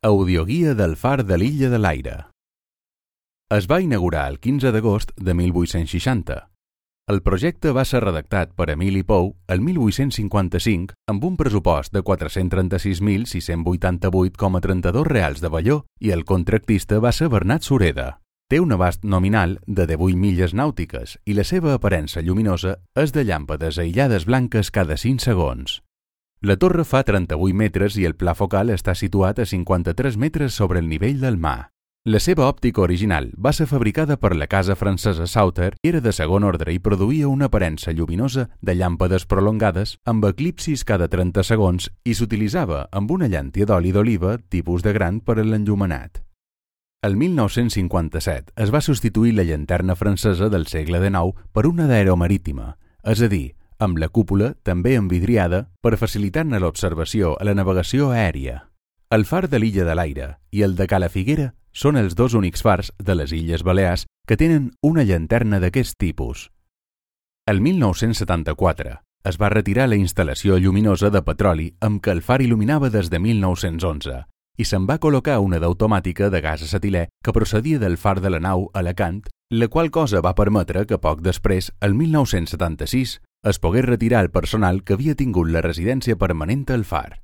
Audioguia del far de l'Illa de l'Aire. Es va inaugurar el 15 d'agost de 1860. El projecte va ser redactat per Emili Pou el 1855 amb un pressupost de 436.688,32 reals de velló i el contractista va ser Bernat Sureda. Té un abast nominal de 18 milles nàutiques i la seva aparença lluminosa és de llàmpades aïllades blanques cada 5 segons. La torre fa 38 metres i el pla focal està situat a 53 metres sobre el nivell del mar. La seva òptica original va ser fabricada per la casa francesa Sauter i era de segon ordre i produïa una aparença lluminosa de llàmpades prolongades amb eclipsis cada 30 segons i s'utilitzava amb una llàntia d'oli d'oliva tipus de gran per a l'enllumenat. El 1957 es va substituir la llanterna francesa del segle XIX per una d'aeromarítima, és a dir, amb la cúpula també envidriada per facilitar-ne l'observació a la navegació aèria. El far de l'Illa de l'Aire i el de Cala Figuera són els dos únics fars de les Illes Balears que tenen una llanterna d'aquest tipus. El 1974 es va retirar la instal·lació lluminosa de petroli amb què el far il·luminava des de 1911 i se'n va col·locar una d'automàtica de gas acetilè que procedia del far de la nau Alacant, la qual cosa va permetre que poc després, el 1976, es pogués retirar el personal que havia tingut la residència permanent al far.